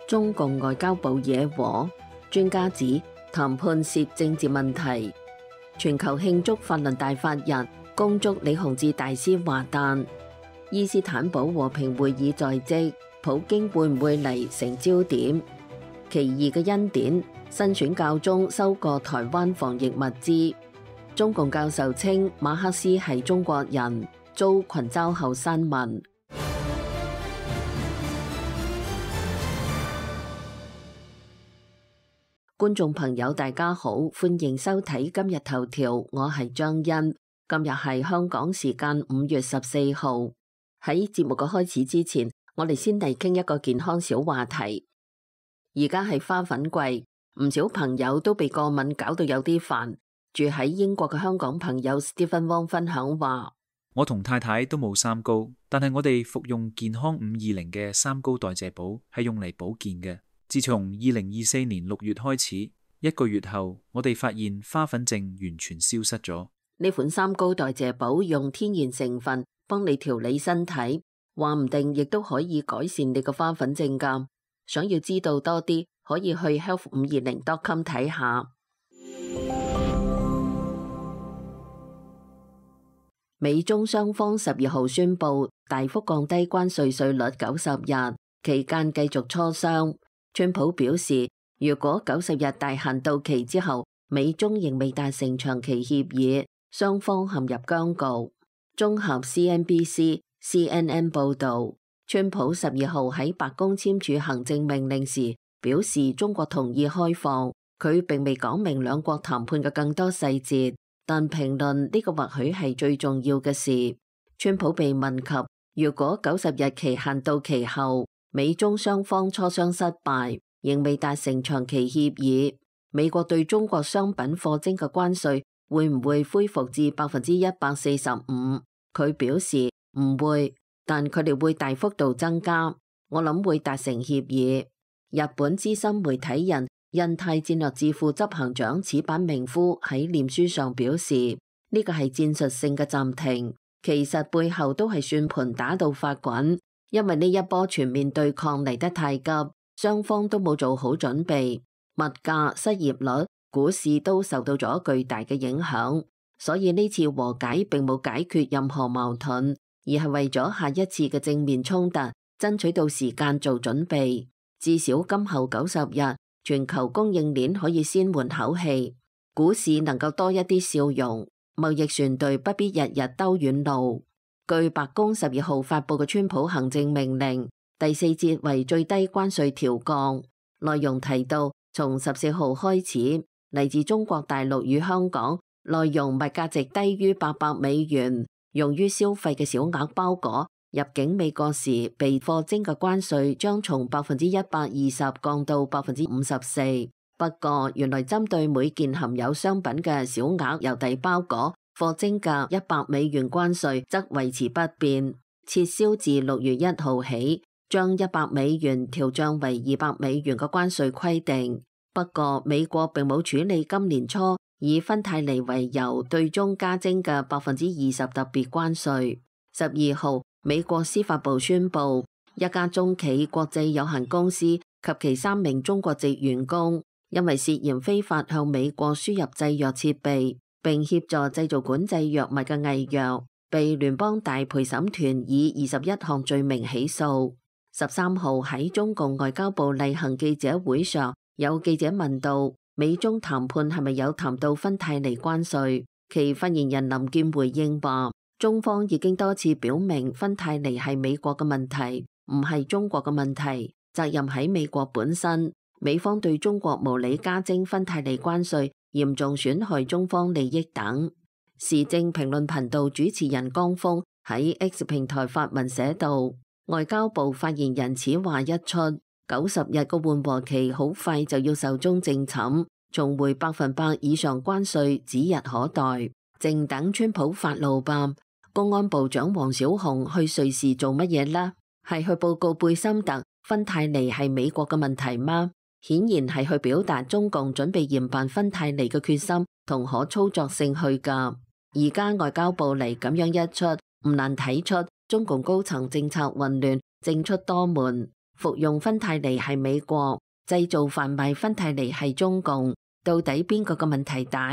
中共外交部惹禍，專家指談判涉政治問題。全球慶祝法輪大法日，恭祝李洪志大師華誕。伊斯坦堡和平會議在即，普京會唔會嚟成焦點？奇異嘅恩典，新選教宗收割台灣防疫物資。中共教授稱馬克思係中國人，遭群嘲後刪文。觀眾朋友大家好，歡迎收睇今日頭條，我係張欣。今日係香港時間5月14號。喺節目嘅開始之前，我哋先嚟傾一個健康小話題。而家係花粉季，唔少朋友都被過敏搞到有啲煩。住喺英國嘅香港朋友 Stephen Wong 分享話：我同太太都冇三高，但係我哋服用健康520嘅三高代謝寶係用嚟保健嘅。自從2024年6月開始，1個月後，我哋發現花粉症完全消失咗。呢款三高代謝寶用天然成分幫你調理身體，話唔定亦都可以改善你個花粉症㗎。想要知道多啲，可以去 health520.com 睇下。美中雙方12號宣布大幅降低關稅稅率90日，期間繼續磋商。川普表示，如果90日大限到期之後，美中仍未達成長期協議，雙方陷入僵局。綜合 CNBC、CNN 報導，川普12號喺白宮簽署行政命令時表示，中國同意開放，佢並未講明兩國談判嘅更多細節，但評論呢個或許係最重要嘅事。川普被問及，如果90日期限到期後，美中雙方磋商失敗，仍未達成長期協議，美國對中國商品課徵嘅關稅會唔會恢復至145%？佢表示唔會，但佢哋會大幅度增加。我諗會達成協議。日本資深媒體人印太戰略智庫執行長矢板明夫喺臉書上表示，呢個係戰術性嘅暫停，其實背後都係算盤打到發滾。因為呢一波全面對抗嚟得太急，雙方都冇做好準備，物價、失業率、股市都受到咗巨大嘅影響，所以呢次和解並冇解決任何矛盾，而係為咗下一次嘅正面衝突爭取到時間做準備。至少今後90日，全球供應鏈可以先緩口氣，股市能夠多一啲笑容，貿易船隊不必日日兜遠路。據白宮12號發佈嘅川普行政命令，第4節為最低關稅調降，內容提到從14號開始，嚟自中國大陸與香港內容物價值低於800美元，用於消費嘅小額包裹入境美國時被課徵嘅關稅將從120%降到54%。不過原來針對每件含有商品嘅小額郵遞包裹課徵嘅100美元關稅則維持不變，撤銷自6月1號起將100美元調漲為200美元嘅關稅規定。不過美國並冇處理今年初以芬太尼為由對中加徵嘅20%特別關稅。12號美國司法部宣布，一家中企國際有限公司及其3名中國籍員工因為涉嫌非法向美國輸入製藥設備並協助製造管制藥物嘅偽藥，被聯邦大陪審團以21項罪名起訴。13號喺中共外交部例行記者會上，有記者問到美中談判係咪有談到芬太尼關稅，其發言人林健回應話，中方已經多次表明芬太尼係美國嘅問題，唔係中國嘅問題，責任喺美國本身。美方對中國無理加徵芬太尼關稅，嚴重損害中方利益等。時政評論頻道主持人江峰喺 X 平台發文寫道，外交部發言人此話一出，90日個緩和期好快就要壽終正寢，重回100%以上關稅指日可待，靜等川普發怒吧。公安部長王小洪去瑞士做乜嘢呢？係去報告貝森特芬太尼係美國嘅問題嗎？顯然係去表達中共準備嚴辦芬太尼嘅決心同可操作性去㗎。而家外交部嚟咁樣一出，唔難睇出中共高層政策混亂，政出多門。服用芬太尼係美國，製造販賣芬太尼係中共，到底邊個嘅問題大？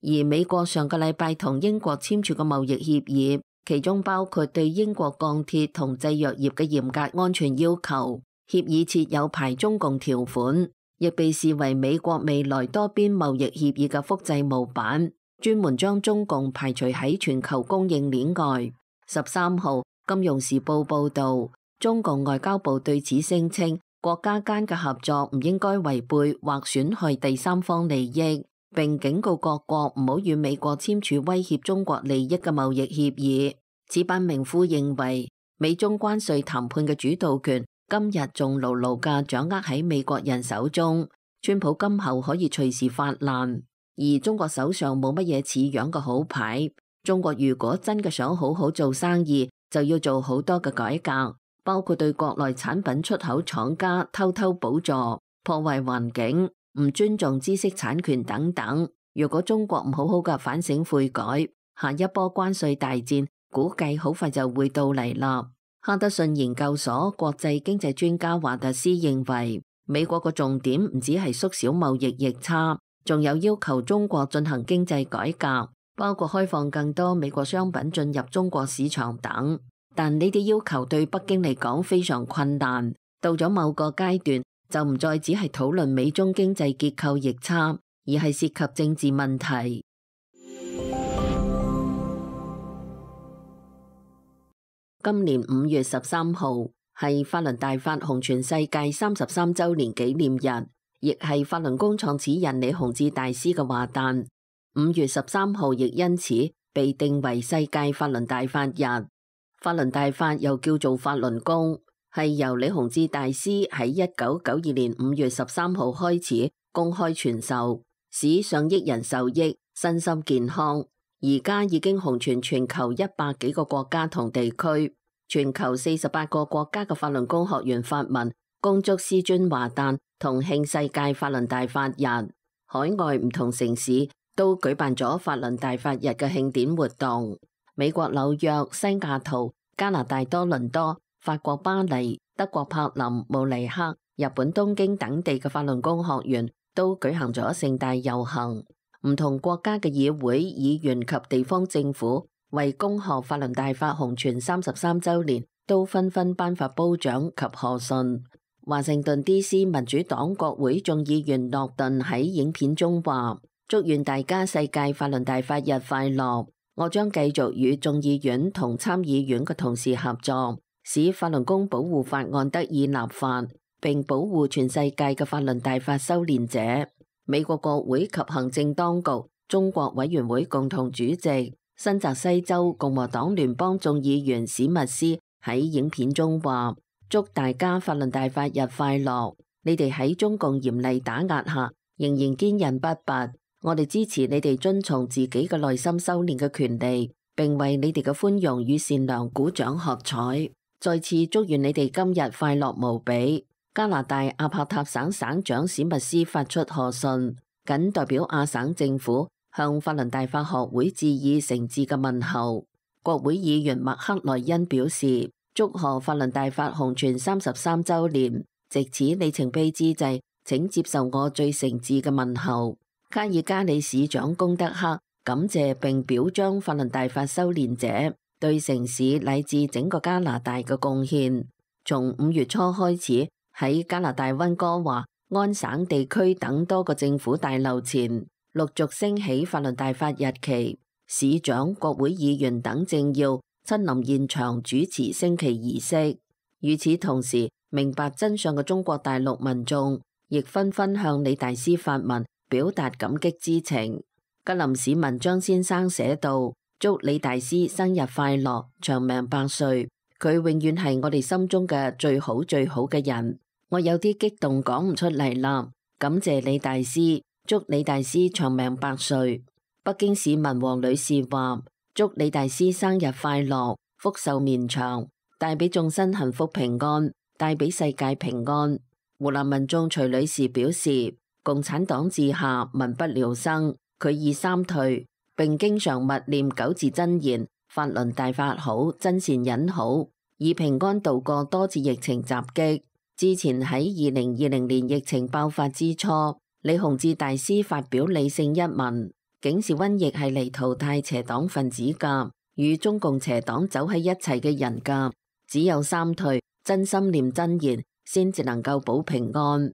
而美國上個禮拜同英國簽署嘅貿易協議，其中包括對英國鋼鐵同製藥業嘅嚴格安全要求。協議設有排中共條款，亦被視為美國未來多邊貿易協議嘅複製模板，專門將中共排除喺全球供應鏈外。13號，《金融時報》報導，中共外交部對此聲稱，國家間嘅合作唔應該違背或損害第三方利益，並警告各國唔好與美國簽署威脅中國利益嘅貿易協議。此版名夫認為，美中關稅談判嘅主導權今日仲牢牢嘅掌握喺美國人手中，川普今後可以隨時發難，而中國手上冇乜嘢似樣嘅好牌。中國如果真嘅想好好做生意，就要做好多嘅改革，包括對國內產品出口廠家偷偷補助、破壞環境、唔尊重知識產權等等。如果中國唔好好嘅反省悔改，下一波關稅大戰估計好快就會到嚟啦。哈德遜研究所國際經濟專家華特斯認為，美國嘅重點唔只係縮小貿易逆差，仲有要求中國進行經濟改革，包括開放更多美國商品進入中國市場等。但呢啲要求對北京嚟講非常困難，到咗某個階段就唔再只係討論美中經濟結構逆差，而係涉及政治問題。今年5月13號係法輪大法紅傳世界33週年紀念日，亦係法輪功創始人李洪志大師嘅華誕。5月13號亦因此被定為世界法輪大法日。法輪大法又叫做法輪功，係由李洪志大師喺1992年5月13號開始公開傳授，使上億人受益，身心健康。而家已經紅傳全球100幾個國家同地區，全球48個國家嘅法輪功學員發文恭祝師尊華誕同慶世界法輪大法日。海外唔同城市都舉辦咗法輪大法日嘅慶典活動。美國紐約、西雅圖、加拿大多倫多、法國巴黎、德國柏林、慕尼黑、日本東京等地嘅法輪功學員都舉行咗盛大遊行。唔同國家嘅議會、議員及地方政府為恭賀法輪大法紅傳33週年，都紛紛頒發褒獎及賀信。華盛頓 D.C. 民主黨國會眾議員諾頓喺影片中話：祝願大家世界法輪大法日快樂！我將繼續與眾議院同參議院嘅同事合作，使法輪功保護法案得以立法，並保護全世界嘅法輪大法修煉者。美國國會及行政當局中國委員會共同主席、新澤西州共和黨聯邦眾議員史密斯喺影片中話：祝大家法輪大法日快樂！你哋喺中共嚴厲打壓下仍然堅韌不拔，我哋支持你哋遵從自己嘅內心修煉嘅權利，並為你哋嘅寬容與善良鼓掌喝彩。再次祝願你哋今日快樂無比。加拿大阿帕塔省省長史密斯發出賀信，謹代表亞省政府向法輪大法學會致以誠摯嘅問候。國會議員麥克萊恩表示，祝賀法輪大法紅傳33週年，藉此里程碑之際，請接受我最誠摯嘅問候。卡爾加里市長功德克感謝並表彰法輪大法修煉者對城市乃至整個加拿大嘅貢獻。從5月初開始，喺加拿大溫哥華、安省地區等多個政府大樓前，陸續升起法輪大法日旗，市長、國會議員等政要親臨現場主持升旗儀式。與此同時，明白真相嘅中國大陸民眾亦紛紛向李大師發文，表達感激之情。吉林市民張先生寫道：祝李大師生日快樂，長命百歲。佢永遠係我哋心中嘅最好最好嘅人。我有啲激動講唔出嚟啦，感謝李大師，祝李大師長命百歲。北京市民黃女士話：祝李大師生日快樂，福壽綿長，帶俾眾生幸福平安，帶俾世界平安。湖南民眾徐女士表示：共產黨治下民不聊生，佢已三退，並經常默念9字真言：法輪大法好，真善忍好，以平安度過多次疫情襲擊。之前喺2020年疫情爆發之初，李洪志大師發表理性一文，警示瘟疫係嚟淘汰邪黨分子㗎，與中共邪黨走喺一齊嘅人㗎，只有三退，真心念真言，先至能夠保平安。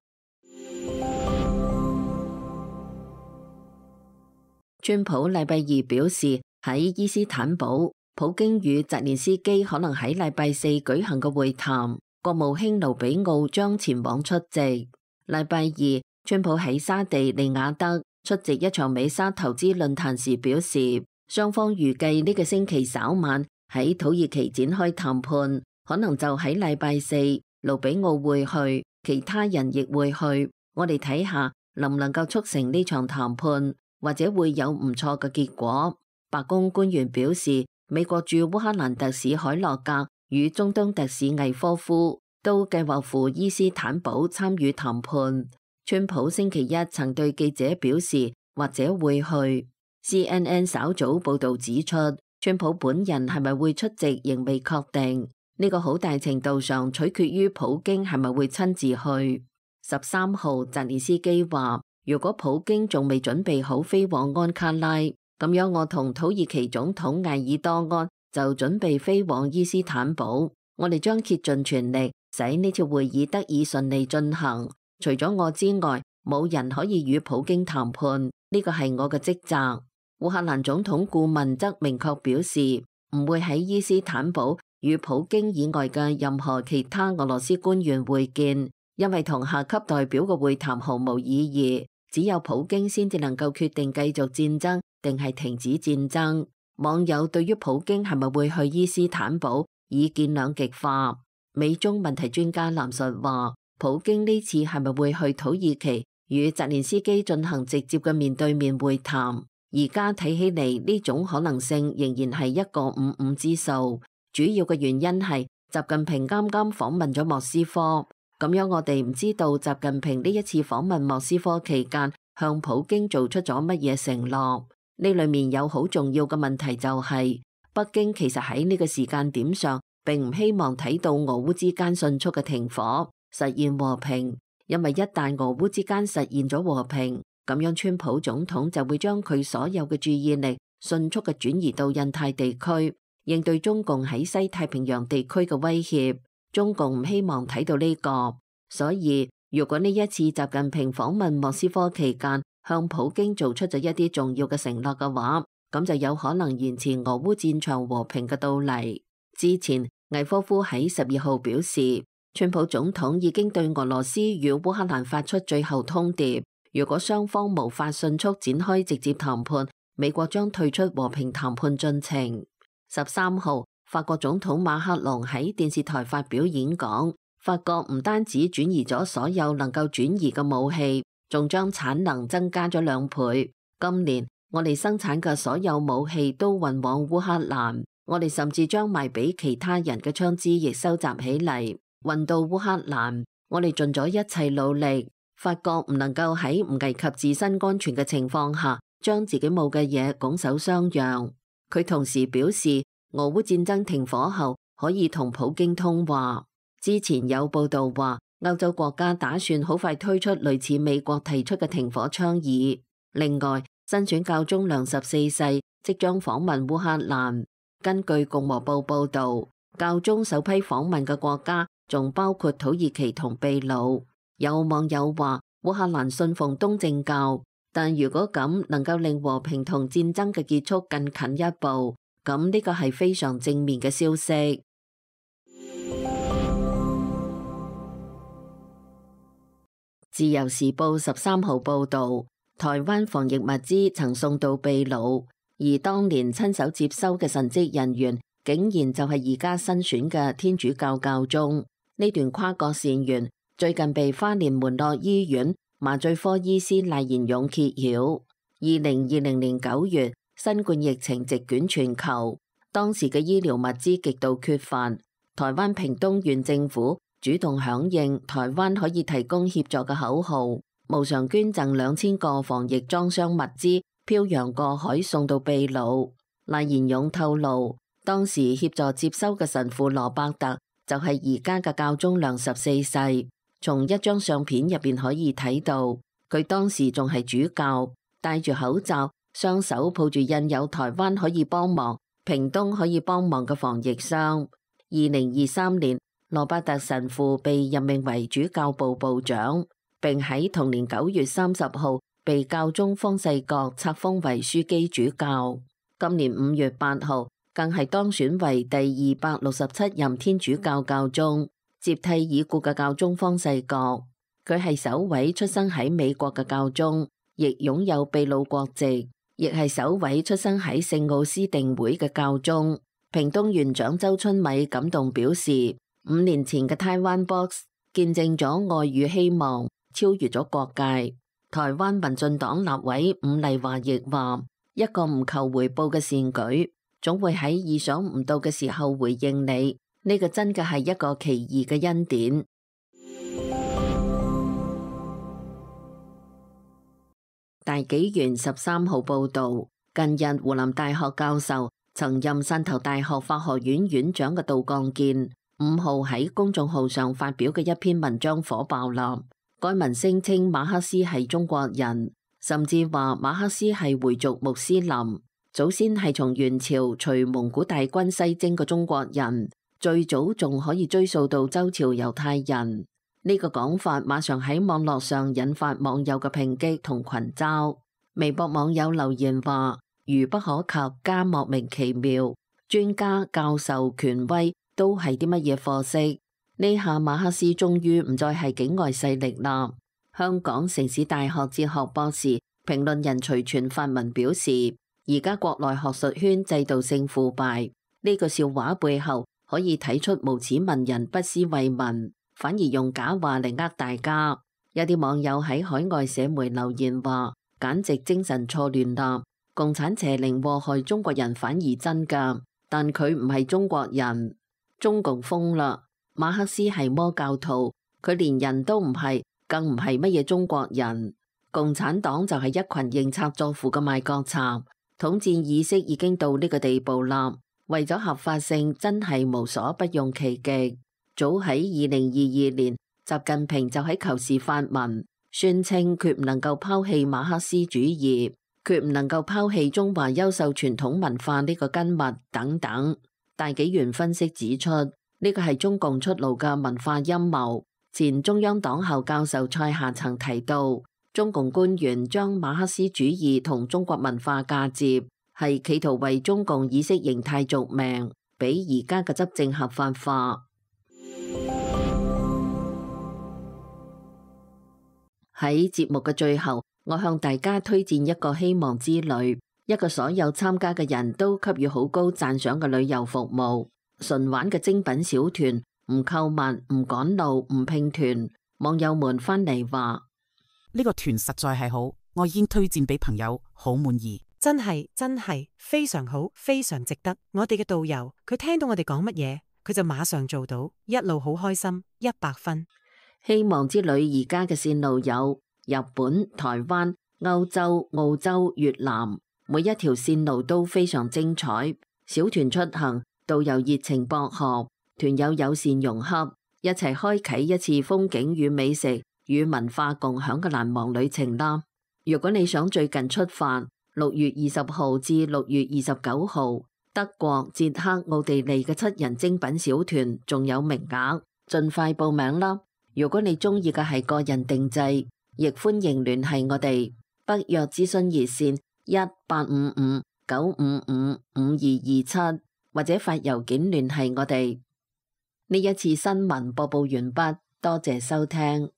川普禮拜二表示，喺伊斯坦堡，普京與澤連斯基可能喺禮拜四舉行嘅會談，國務卿盧比奧將前往出席。禮拜二，川普喺沙地利雅得出席一場美沙投資論壇時表示，雙方預計呢個星期稍晚喺土耳其展開談判，可能就喺禮拜四，盧比奧會去，其他人亦會去，我哋睇下能唔能夠促成呢場談判，或者會有唔錯嘅結果。白宮官員表示，美國駐烏克蘭特使海洛格與中東特使魏科夫都計劃赴伊斯坦堡參與談判。川普星期一曾對記者表示，或者會去。CNN 稍早報道指出，川普本人係咪會出席仍未確定，呢個好大程度上取決於普京係咪會親自去。13號，澤連斯基話，如果普京仲未準備好飛往安卡拉，咁樣我同土耳其總統艾爾多安就準備飛往伊斯坦堡，我哋將竭盡全力使呢次會議得以順利進行。除咗我之外，冇人可以與普京談判，呢個係我嘅職責。烏克蘭總統顧問則明確表示，唔會喺伊斯坦堡與普京以外嘅任何其他俄羅斯官員會見，因為同下級代表嘅會談毫無意義。只有普京先至能夠決定繼續戰爭定係停止戰爭。網友對於普京係咪會去伊斯坦堡意見兩極化。美中問題專家藍述話，普京呢次係咪會去土耳其與澤連斯基進行直接嘅面對面會談？而家睇起嚟呢種可能性仍然係一個55之數。主要嘅原因係習近平啱啱訪問咗莫斯科，咁樣我哋唔知道習近平呢一次訪問莫斯科期間向普京做出咗乜嘢承諾。呢裏面有好重要嘅問題就係，北京其實喺呢個時間點上並唔希望睇到俄烏之間迅速嘅停火，實現和平，因為一旦俄烏之間實現咗和平，咁樣川普總統就會將佢所有嘅注意力迅速嘅轉移到印太地區，應對中共喺西太平洋地區嘅威脅。中共唔希望睇到呢個，所以如果呢一次習近平訪問莫斯科期間向普京做出咗一啲重要嘅承諾嘅話，咁就有可能延遲俄烏戰場和平嘅到嚟。之前魏科夫喺12號表示，川普總統已經對俄羅斯與烏克蘭發出最後通牒，如果雙方無法迅速展開直接談判，美國將退出和平談判進程。13號，法國總統馬克龍喺電視台發表演講，法國唔單止轉移咗所有能夠轉移嘅武器，仲將產能增加咗2倍。今年我哋生產嘅所有武器都運往烏克蘭，我哋甚至將賣俾其他人嘅槍支亦收集起嚟，運到烏克蘭。我哋盡咗一切努力。法國唔能夠喺唔危及自身安全嘅情況下，將自己冇嘅嘢拱手相讓。佢同時表示，俄烏戰爭停火後可以同普京通話。之前有報道話，歐洲國家打算好快推出類似美國提出嘅停火倡議。另外，新選教宗良14世即將訪問烏克蘭。根據共和報報道，教宗首批訪問嘅國家仲包括土耳其同秘魯。有網友話，烏克蘭信奉東正教，但如果咁能夠令和平同戰爭嘅結束更近一步，咁呢個係非常正面嘅消息。自由時報13號報道，台灣防疫物資曾送到秘魯，而當年親手接收嘅神職人員，竟然就係而家新選嘅天主教教宗。呢段跨國善緣最近被花蓮門諾醫院麻醉科醫師賴延勇揭曉。2020年9月，新冠疫情席捲全球，當時嘅醫療物資極度缺乏。台灣屏東縣政府主動響應台灣可以提供協助嘅口號，無償捐贈2000個防疫裝箱物資，漂洋過海送到秘魯。賴延勇透露，當時協助接收嘅神父羅伯特就係而家嘅教宗良14世。從一張相片入邊可以睇到，佢當時仲係主教，戴住口罩，雙手抱住印有台灣可以幫忙、屏東可以幫忙嘅防疫箱。2023年，羅伯特神父被任命為主教部部長，並喺同年9月30號被教宗方濟各冊封為樞機主教。今年5月8號，更係當選為第267任天主教教宗，接替已故嘅教宗方濟各。佢係首位出生喺美國嘅教宗，亦擁有秘魯國籍，亦係首位出生喺聖奧斯定會嘅教宗。屏東縣長周春米感動表示，5年前嘅台灣 Box 見證咗愛與希望，超越咗國界。台灣民進黨立委伍麗華亦話，一個唔求回報嘅善舉，總會喺意想唔到嘅時候回應你，呢個真嘅係一個奇異嘅恩典。大紀元13號報道，近日湖南大學教授、曾任汕頭大學法學院院長嘅杜鋼健5號喺公眾號上發表嘅一篇文章火爆啦。該文聲稱馬克思係中國人，甚至話馬克思係回族穆斯林，祖先係從元朝隨蒙古大軍西征嘅中國人，最早仲可以追溯到周朝猶太人。呢個講法馬上喺網絡上引發網友嘅抨擊同群嘲。微博網友留言話：愚不可及加莫名其妙，專家、教授、權威都係啲乜嘢貨色？呢下馬克思終於唔再係境外勢力啦。香港城市大學哲學博士、評論人徐全發文表示，而家國內學術圈制度性腐敗，呢個笑話背後可以睇出無恥文人不思為民，反而用假話嚟呃大家。有啲網友喺海外社媒留言話，簡直精神錯亂啦！共產邪靈禍害中國人反而真㗎，但佢唔係中國人。中共瘋啦！馬克思係魔教徒，佢連人都唔係，更唔係乜嘢中國人。共產黨就係一群認賊作父嘅賣國賊，統戰意識已經到呢個地步啦。為咗合法性，真係無所不用其極。早喺2022年，習近平就喺求是發文，宣稱決唔能夠拋棄馬克思主義，決唔能夠拋棄中華優秀傳統文化呢個根脈等等。大紀元分析指出，呢個係中共出爐嘅文化陰謀。前中央黨校教授蔡夏曾提到，中共官員將馬克思主義同中國文化嫁接，係企圖為中共意識形態續命，俾而家嘅執政合法化。喺節目嘅最後，我向大家推薦一個希望之旅，一個所有參加嘅人都給予好高讚賞嘅旅遊服務。純玩嘅精品小團，唔購物，唔趕路，唔拼團。網友們翻嚟話：呢個團實在係好，我已經推薦俾朋友，好滿意。真係非常好，非常值得。我哋嘅導遊，佢聽到我哋講乜嘢，佢就馬上做到，一路好開心，100分。希望之旅而家嘅線路有日本、台灣、歐洲、澳洲、越南，每一條線路都非常精彩。小團出行，導遊熱情博學，團友友善融洽，一齊開啟一次風景與美食與文化共享嘅難忘旅程啦！如果你想最近出發，6月20號至6月29號，德國、捷克、奧地利嘅7人精品小團仲有名額，盡快報名啦！如果你中意嘅係個人定制，亦歡迎聯繫我哋。北約諮詢熱線1855-955-5227，或者發郵件聯繫我哋。呢一次新聞播報完畢，多謝收聽。